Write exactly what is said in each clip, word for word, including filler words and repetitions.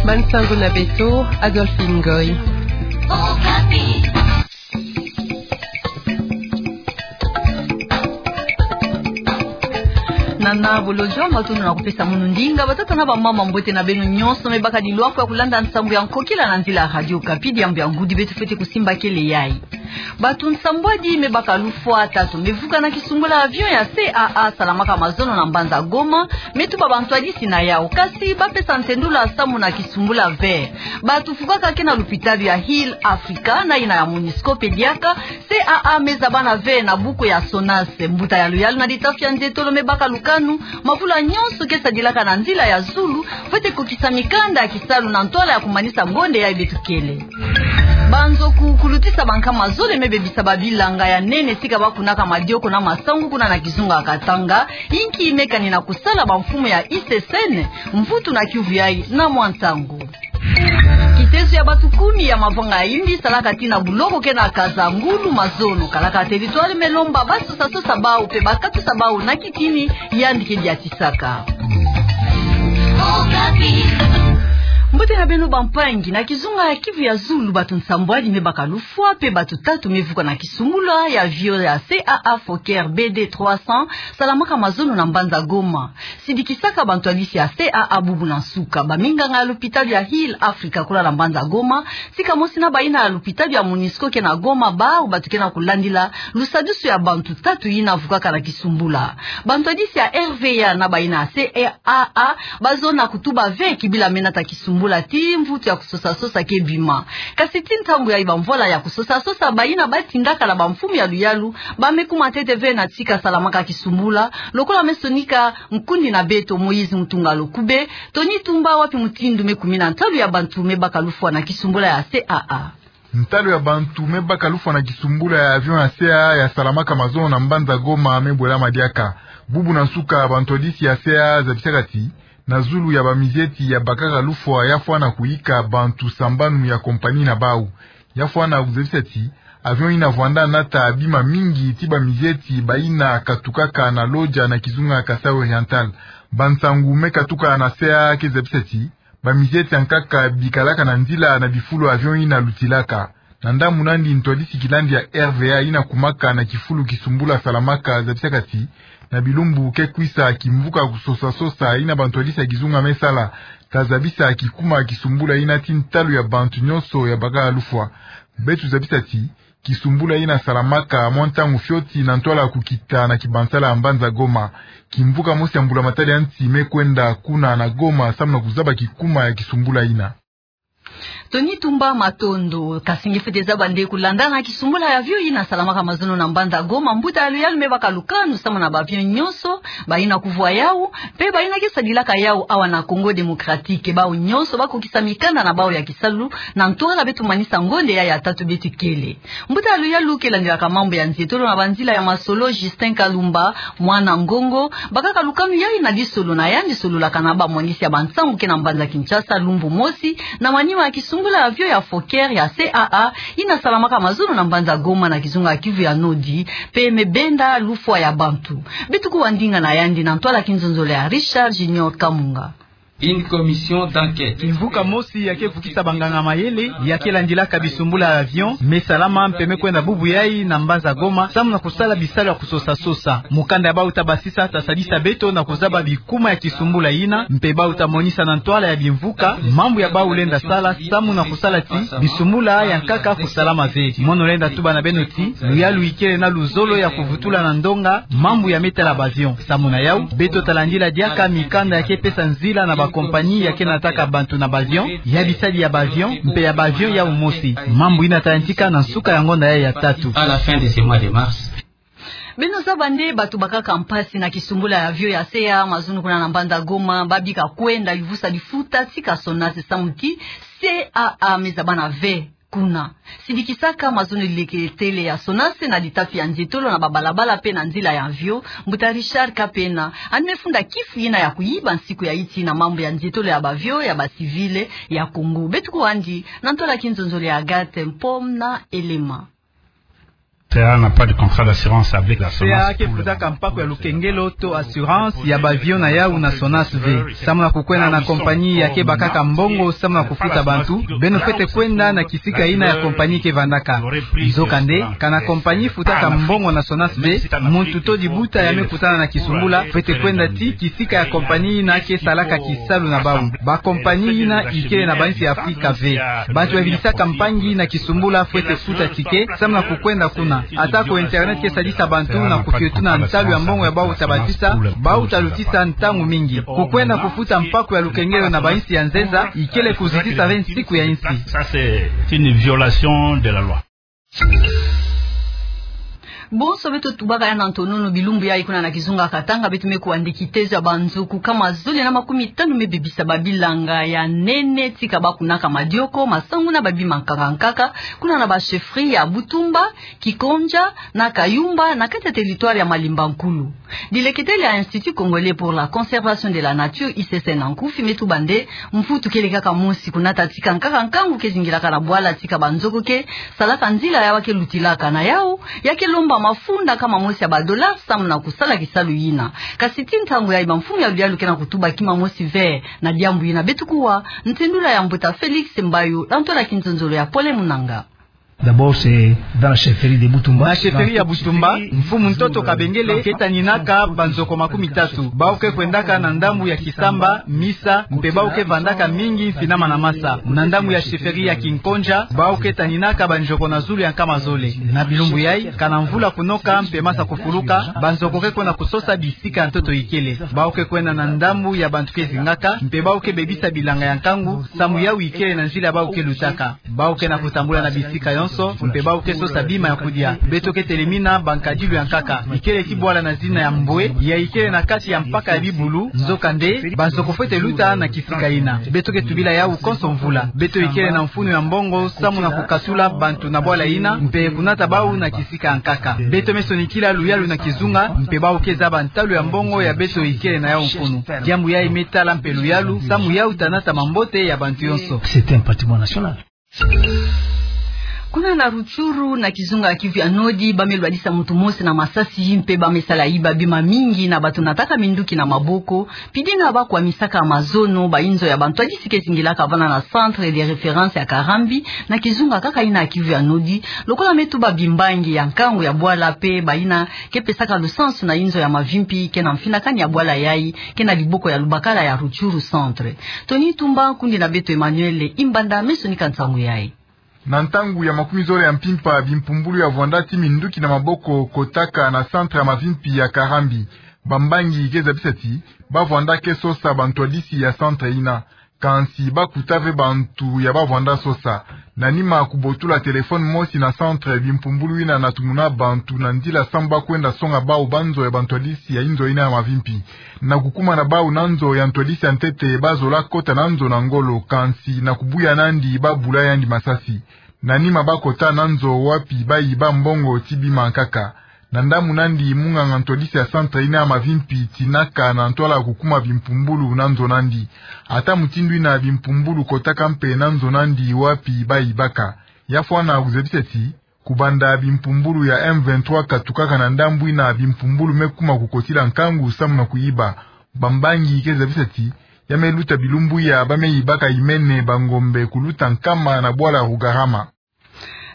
Bansangu na beto, Adolphine Ngoy. Nana bolojo, matondo na kupesa munu ndinga. Batata na bamama, mbote na beno nyonso me bakadi lwaku ya kulanda nsangu ya nkokila na nzila ya Radio Okapi. Diambu ya ngudi beto fwete kusimba kele yayi. Bato nsambwadi me baka lufwa, tatu me vuka na kisumbula avion ya C A A salamaka mazono na mbanza Goma, me tuba bantwadisi na yawu. Kasi bapesa ntendula samu na kisumbula ve. Bato fukaka ke na lupitalu ya Heal Africa na yina ya Monusco pe diaka, C A A me zaba na ve na buku ya SONAS. Mbuta ya luyalu na litafi ya nzietolo me baka lukanu, mavula nyonso ke sadilaka na nzila ya zulu, fwete kokisa mikanda ya kisalu na ntwala ya kumanisa ngonde yayi beto kele. Banzoku kulutisa bankama zole me bebisa babilanga ya nene tika bakunaka madioko na masangu kuna na kizunga ya Katanga, inki me kani na kusala bamfumu ya I C C N, mvutu na kiuvu yayi na mwa ntangu. Kitezo ya bato kumi ya mavanga ya yimbi salaka tii na buloko ke na Kaza ngulu mazono, kalaka territoire me lomba basosasosa bawu pe bakatusa bawu na kitini, yandi ke diatisaka. Mbote na beno bampangi, na kizunga ya Kivu ya zulu bato nsambwadi me baka lufwa pe bato tatu me vuka na kisumbula ya avion ya C A A Fokker B D trois cents salamaka mazono na mbanza Goma. Sidikisaka bantwadisi ya C A A bubu na nsuka. Baminganga ya lupitalu ya Heal Africa kuna na mbanza Goma, tika mosi na bayina ya lupitalu ya Monusco ke na Goma, bawu bato ke na kulandila lusadusu ya bantu tatu yina vukaka na kisumbula. Bantwadisi ya R V A na bayina ya C A A bazona kutuba ve kibila me nata kisumbula tii mvutu ya kusosasosa ke bima. Kasi tii ntangu yayi bamvwala ya kusosasosa bayina batindaka na bamfumu ya luyalu ba me kuma ntete ve na tika salamaka kisumbula, lokola me sonika nkundi na beto Moïse Mutunga Lukube. Tony Tumba, wapi mutindu me kumina ntalu ya bantu me baka lufwa na kisumbula ya C A A? Ntalu ya bantu me baka lufwa na kisumbula ya avion ya C A A ya salamaka mazono na mbanza Goma me bwelama diaka. Bubu na nsuka bantwadisi ya C A A zabisaka tii, na zulu ya bamizieti ya bakaka lufwa ya fwana kuyika bantu sambanu ya compagnie na bawu. Ya fwana kuzabisa tii, avion yina vwanda nata bima mingi tii bamizieti bayina katukaka na Lodja na kizunga Kasaï Oriental. Bansangu me katuka na C A A ke zabisa tii, bamizieti ya nkaka bikalaka na nzila na bifulu avion yina lutilaka. Na ndambu nandi ntwadisi kilandi ya R V A yina kumaka na kifulu kisumbula salamaka zabisaka tii, na bilumbu ke kwisa kimvuka kusosasosa yina bantwadisi ya kizunga me sala, ka zabisa kikuma kisumbula yina tii ntalu ya bantu nyonso ya baka lufwa. Beto zabisa tii, kisumbula yina salamaka mwa ntangu fioti na ntwala kukita na kibansala ya mbanza Goma. Kimvuka mosi ya mbulamatari ya nsi me kwenda kuna na Goma samu na kuzaba kikuma ya kisumbula yina. Tony Tumba, matondo. Kasi nge fwete zaba nde, kulanda na kisumbula ya avion yina salamaka mazono na mbanza Goma, mbuta ya luyalu me baka lukanu samu na ba avion nyonso bayina kuvwa yawu pe bayina ke sadilaka yawu awa na Congo Démocratique. Bawu nyonso bakokisa mikanda na bawu ya kisalu na ntwala beto manisa ngonde yayi ya tatu beto kele. Mbuta ya luyalu ke landilaka mambu ya nzietolo na banzila ya masolo, Justin Kalumba, mwana Ngongo, bakaka lukanu yayi na lisolo na yandi sololaka na bamwanisi ya bansangu ke na mbanza Kinshasa lumbu mosi, na manima ya kisumbula ya avion ya Fokker ya C A A yina salamaka mazono na mbanza Goma na kizunga ya Kivu ya Nodi, pe me benda lufwa ya bantu. Beto kuwa ndinga na yandi na ntwala kinzonzolo ya Richard Junior Kamunga. Une commission d'enquête. Kimvuka mosi ya ke vukisa banganga mayele ya ke landilaka bisumbula ya avion me salama mpe me kwenda bubu yayi na mbanza Goma samu na kusala bisalu ya kusosa-sosa. Mukanda ya bawu ta basisa ta sadisa beto na kuzaba bikuma ya kisumbula yina, mpe bawu ta monisa na ntwala ya bimvuka mambu ya bawu lenda sala samu na kusala ti bisumbula ya nkaka kusalama ve. Mono lenda tuba na beno ti luyalu ikele na luzolo ya kuvutula na ndonga mambu ya me tala ba avion. Samu na yawu, beto ta landila diaka mikanda ya ke pesa nzila na ba compagnie ya ke nataka bantu na ba avion, ya bisadi ya ba avion, mpe ya ba avion yawu mosi. Mambu yina ta yantika na nsuka ya ngonda yayi ya tatu. À la fin de ce mois de mars. Beno zaba nde bato bakaka mpasi na kisumbula ya avion ya C A A mazono kuna na mbanza Goma, babika kwenda yuvusa lifuta tika SONAS samu ti C A A me zabana ve kuna. Sidikisaka mazono leketele ya SONAS na litafi ya nzietolo na babalabala mpe na nzila ya avion, mbuta Richard Kapena, yandi me funda kifu yina ya kuyiba nsiku ya yiti na mambu ya nzietolo ya ba avion ya ba civil ya Congo. Beto kuwa yandi na ntwala kinzonzolo ya Agathe Mpom na Elema. C A n'a pas de contrat d'assurance avec la C A. C A ke futaka mpaku ya lukengelo to assurance ya ba avion na yawu na SONAS ve. Samu na kukwenda na kompanyi ya ke bakaka mbongo samu na kufuta bantu, beno fwete kwenda na kisika ina ya kompanyi ke vandaka. Nzokande, kana kompanyi futaka mbongo na SONAS ve, muntu to dibuta ya me kutana na kisumbula fwete kwenda ti kisika ya kompanyi ina ke salaka kisalu na bawu. Ba kompanyi ina ikele na ba insi ya Afrika ve. Bantu bavidisaka mpangi na kisumbula fwete futa ticket samu na kukwenda kuna. Ata ko internet ke sadisa bantu na kufiotuna ntalu ya mbongo ya bawu ta bazisa, bawu ta lutisa ntangu mingi. Kukwenda kufuta mpaku ya lukengelo na ba insi ya nzenza ikele kuzitisa ve nsiku ya insi. Ça, c'est une violation de la loi. Bonso beto tubaka ya na ntonono, bilumbu yayi kuna na kizunga Katanga, beto me kuandi kitezo ya banzoku kama zole na makumi tanu me bebisa ba bilanga ya nene, tika ba kunaka madioko, masangu na ba bima nkaka nkaka, kuna na ba chefferie ya Butumba, Kikonja, na Kayumba, na kati ya territoire ya Malemba Nkulu. Dileketele ya Institut Congolais pour la Conservation de la Nature, I C C na nkufi, me tuba nde mvutu kele kaka mosi kunata tika nkaka nkangu ke zingilaka na bwala tika banzoku ke salaka nzila ya ba ke lutilaka. Na yawu, ya ke lomba mafunda kama mosi ya ba dollars samu na kusala kisalu yina. Kasi ti ntangu yayi bamfumu ya luyalu ke na kutuba kima mosi ve na diambu yina. Beto kuwa ntendula ya Mbuta Felix Mbayo, na ntwala kinzonzolo ya Pole Munanga. D'abord, c'est dans la chefferie de Butumba. Na chefferie ya Butumba, mfumu ntoto Kabengele ke taninaka banzoko makumi tatu. Bawu ke kwendaka na ndambu ya Kisamba, Misa, mpe bawu ke vandaka mingi mfinama na masa. Na ndambu ya chefferie ya Kikonja, bawu ke taninaka banzoko na zulu ya nkama zole. Na bilumbu yayi, kana mvula kunoka mpe masa kufuluka, banzoko ke kwenda kusosa bisika ya ntoto ikele. Bawu ke kwenda na ndambu ya bantu ke zingaka, mpe bawu ke bebisa bilanga ya nkangu, samu yawu ikele na nzila bawu ke lutaka. Bawu ke na kutambula na bisika yonso, mpe bawu ke sosa bima ya kudia. Beto ke telemina bankadilu ya nkaka. Ikele ti bwala na zina ya Mbwe, ya ikele na kati ya mpaka ya Bibulu, nzokande, banzoko fwete luta na kisika yina. Beto ke tubila yawu konso mvula. Beto ikele na mfunu ya mbongo, samu na kukatula bantu na bwala yina, mpe kunata bawu na kisika ya nkaka. Beto me sonikila luyalu na kizunga, mpe bawu ke zaba ntalu ya mbongo ya beto ikele na yawu mfunu. Diambu yayi me tala mpe luyalu, samu yawu ta nata mambote ya bantu yonso. C'est un patrimoine national. Kuna na Rutshuru, na kizunga ya Kivu ya Nord, ba me lwadisa muntu mosi na masasi, mpe ba me sala yiba bima mingi na ba tunataka minduki na maboko, pidi na ba kwamisaka mazono, ba inzo ya bantwadisi ke zingilaka vana na centre de référence ya Karambi, na kizunga kaka yina ya Kivu ya Nord, lokola me tuba bimbangi ya nkangu ya bwala mpe ba yina ke pesaka lusansu na inzo ya mavimpi ke na mfinakani ya bwala yayi, ke na diboko ya lubakala ya Rutshuru Centre. Tony Tumba, kundi na beto Emmanuel Imbanda, me sonika nsangu yayi. Na ntangu ya makumi zole ya mpimpa, bimpumbulu ya vwanda ti minduki na maboko kotaka na centre ya mavimpi ya Karambi. Bambangi ke zabisa ti ba vwanda ke sosa bantwadisi ya centre yina. Kansi ba kuta ve bantu ya ba vwanda sosa. Na nima kubotula téléphone mosi na centre, bimpumbulu yina na tumuna bantu na nzila samu ba kwenda songa bawu banzo ya bantwadisi ya inzo yina ya mavimpi. Na kukuma na bawu na nzo ya ntwadisi ya ntete, ba zola kota na nzo na ngolo, kansi na kubuya nandi ba bula yandi masasi. Na nima ba kota na nzo wapi ba yiba mbongo ti bima nkaka. Na ndambu nandi, munganga ntwadisi ya centre yina ya mavimpi tinaka na ntwala kukuma bimpumbulu na nzo nandi. Ata mutindu yina, bimpumbulu kotaka mpe na nzo nandi wapi ba yibaka. Ya fwana kuzabisa ti, kubanda bimpumbulu ya M vingt-trois katukaka na ndambu yina, bimpumbulu me kuma kukotila nkangu samu na kuyiba. Bambangi ke zabisa ti, ya me luta bilumbu ya ba me yibaka imene, bangombe, kuluta nkama na bwala Rugarama.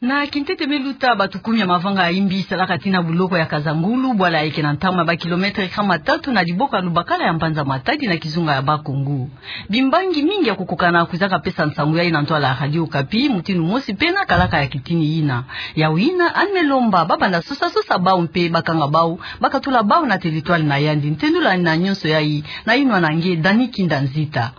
Na kintete me luta, batu kumi ya mavanga ya imbi salaka tina buloko ya Kazangulu, bwala yayi ke na ntama ya ba kilomètre nkama tatu na diboko ya lubakala ya mbanza Matadi na kizunga ya Bas-Congo. Bimbangi mingi ya kukokana kwizaka pesa nsangu yayi na ntwala ya Radio Okapi, mutindu mosi pena kalaka ya kitini yina. Yawu yina, yandi me lomba ba banda sosa sosa bawu mpe ba kanga bawu, ba katula bawu na territoire na yandi. Ntendula na nyonso yayi, na yinwa na nge Dani Kinda Nzita.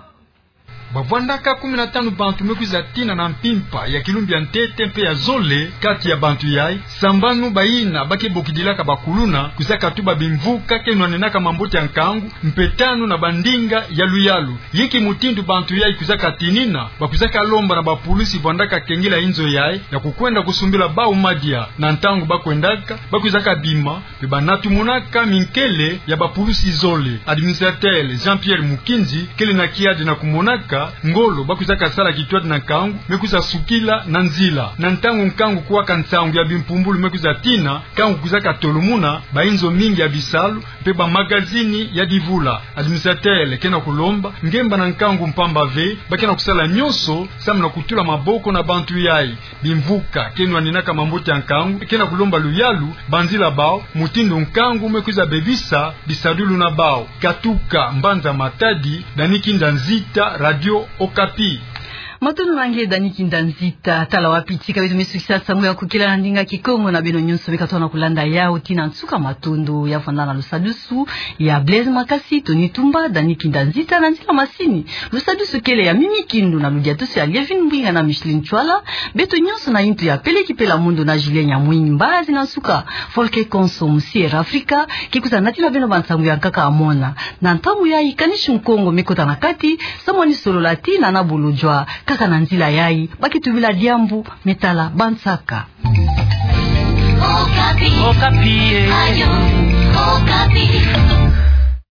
Ba vwandaka kumi na tanu bantu me kwiza tina na mpimpa ya kilumbu ya ntete mpe ya zole kati ya bantu yayi, sambanu bayina ba ke bokidilaka bakuluna, kwizaka tuba bimvuka ke nwanenaka mambote ya nkangu, mpe tanu na bandinga ya luyalu. Yinki mutindu bantu yayi kwizaka tinina? Ba kwizaka lomba na bapulusi vwandaka kengila inzo yayi ya kukwenda kusumbila bawu madia. Na ntangu ba kwendaka, ba kwizaka bima, mpe ba na tumunaka minkele ya bapulusi zole. Administrateur Jean-Pierre Mukinzi kele na kiadi na kumonaka ngolo ba kwizaka sala kitoto na nkangu me kwiza sukila na nzila. Na ntangu nkangu kwaka nsangu ya bimpumbulu me kwiza tina, nkangu kwizaka tolomuna, bayinzo mingi ya bisalu mpe bamagazini ya divula. Administrateur ke na kulomba ngemba na nkangu mpamba ve, ba ke na kusala nyonso samu na kutula maboko na bantu yayi. Bimvuka ke nwaninaka mambote ya nkangu ke na kulomba luyalu banzila bawu, mutindu nkangu me kwiza bebisa bisadulu na bawu. Katuka mbanza Matadi, Dani Kinda Nzita, Radio Okapi. Matondo na nge Dani Kinda Nzita. Tala wapi tika beto me sukisa nsangu ya kukila na ndinga Kikongo. Na beno nyonso beka tona kulanda yawu tii na nsuka, matondo. Ya fwana na lusadusu ya Blaise Makasi, Tony Tumba, Dani Kinda Nzita na nzila masini. Lusadusu kele ya Mimi Kindu na ludiadusu ya Lievine Mbwinga na Micheline Chwala. Beto nyonso na yintu ya Peleki Pela Mondo na Julien Nyamwinyi. Mbazi na nsuka, Volker Konso, Musi Air Africa, ke kwiza natina beno bansangu ya nkaka amona. Na ntangu yayi, Kanishi Nkongo me kota na kati samu ni solola tii na Nabuludjwa. Kaka na nzila yayi ba ke tubila diambu me tala bansaka. Okapi. Okapi, eh. Radio Okapi.